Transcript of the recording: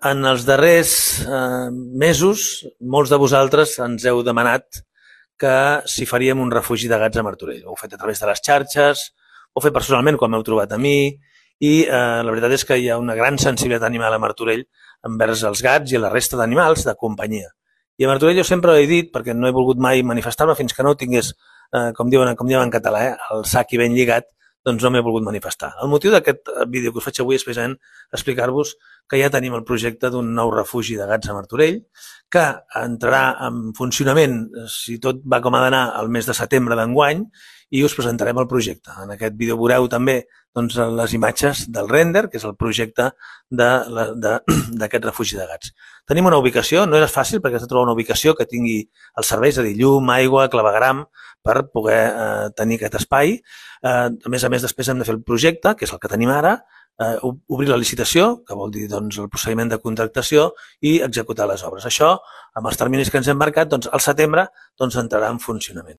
En els darrers mesos, molts de vosaltres ens heu demanat que si faríem un refugi de gats a Martorell. Ho heu fet a través de les xarxes, ho heu fet personalment quan m'heu trobat a mi, i la veritat és que hi ha una gran sensibilitat animal a Martorell envers els gats i la resta d'animals de companyia. I a Martorell jo sempre ho he dit, perquè no he volgut mai manifestar-me fins que no ho tingués, com diuen en català, el sac i ben lligat, doncs no m'he volgut manifestar. El motiu d'aquest vídeo que us faig avui és precisament explicar-vos que ja tenim el projecte d'un nou refugi de gats a Martorell, que entrarà en funcionament, si tot va com ha d'anar, el mes de setembre d'enguany, i us presentarem el projecte. En aquest vídeo veureu també doncs, les imatges del render, que és el projecte d'aquest refugi de gats. Tenim una ubicació, no és fàcil perquè has de trobar una ubicació que tingui els serveis, és a dir, llum, aigua, clavegueram, per poder tenir aquest espai. A més, després hem de fer el projecte, que és el que tenim ara, obrir la licitació, que vol dir doncs, el procediment de contractació, i executar les obres. Això, amb els terminis que ens hem marcat, doncs, al setembre entrarà en funcionament.